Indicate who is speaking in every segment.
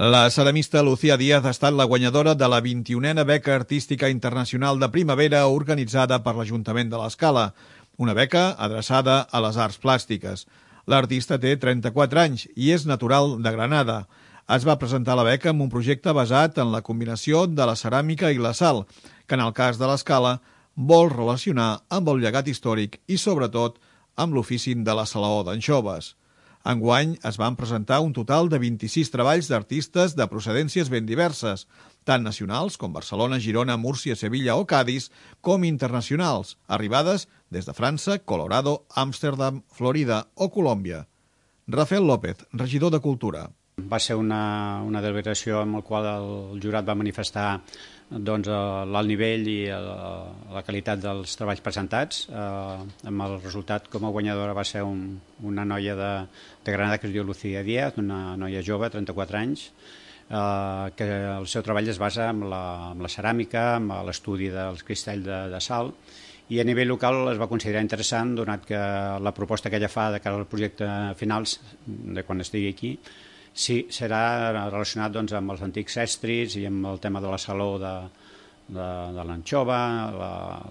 Speaker 1: La ceramista Lucía Díaz ha estat la guanyadora de la 21a Beca Artística Internacional de Primavera organitzada per l'Ajuntament de l'Escala, una beca adreçada a les arts plàstiques. L'artista té 34 anys i és natural de Granada. Es va presentar la beca amb un projecte basat en la combinació de la ceràmica i la sal, que en el cas de l'Escala vol relacionar amb el llegat històric i, sobretot, amb l'ofici de la salaó d'anxoves. Enguany es van presentar un total de 26 treballs d'artistes de procedències ben diverses, tant nacionals com Barcelona, Girona, Múrcia, Sevilla o Cadis, com internacionals, arribades des de França, Colorado, Amsterdam, Florida o Colòmbia. Rafael López, regidor de Cultura.
Speaker 2: Va ser una deliberació en la qual el jurat va manifestar l'alt nivell i la qualitat dels treballs presentats. Amb el resultat, com a guanyadora, va ser una noia de Granada que es diu Lucía Díaz, una noia jove, 34 anys, que el seu treball es basa en la ceràmica, en l'estudi dels cristalls de sal, i a nivell local es va considerar interessant, donat que la proposta que ella fa de cara al projecte finals, de quan estigui aquí, sí, serà relacionat amb els antics estris i amb el tema de la saló de l'anxova,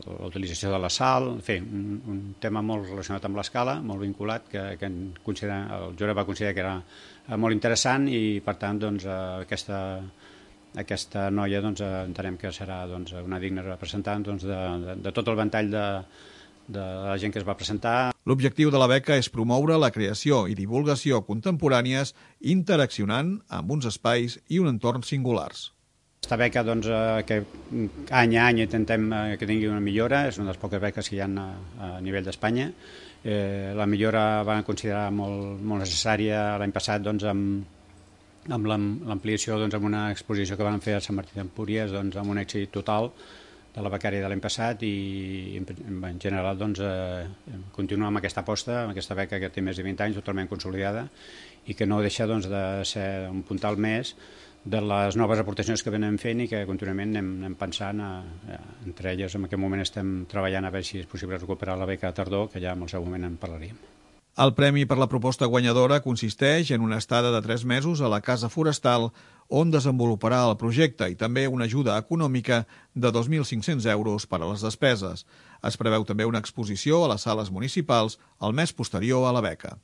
Speaker 2: l'utilització de la sal, en fi, un tema molt relacionat amb l'Escala, molt vinculat, que el jurat va considerar que era molt interessant i, per tant, aquesta noia entenem que serà una digna representant de tot el ventall de la gent que es va presentar.
Speaker 1: L'objectiu de la beca és promoure la creació i divulgació contemporànies interaccionant amb uns espais i un entorn singulars.
Speaker 2: Aquesta beca, que any a any intentem que tingui una millora, és una de les poques beques que hi ha a nivell d'Espanya. La millora va considerar molt necessària l'any passat amb l'ampliació amb una exposició que van fer a Sant Martí d'Empúries amb un èxit total de la becària de l'any passat i en general continuar amb aquesta aposta, amb aquesta beca que té més de 20 anys totalment consolidada i que no deixa de ser un puntal més de les noves aportacions que venim fent i que contínuament anem pensant, entre elles en aquest moment estem treballant a veure si és possible recuperar la beca a tardor, que ja en el seu moment en parlaríem.
Speaker 1: El premi per la proposta guanyadora consisteix en una estada de 3 mesos a la Casa Forestal on desenvoluparà el projecte i també una ajuda econòmica de 2.500 euros per a les despeses. Es preveu també una exposició a les sales municipals el mes posterior a la beca.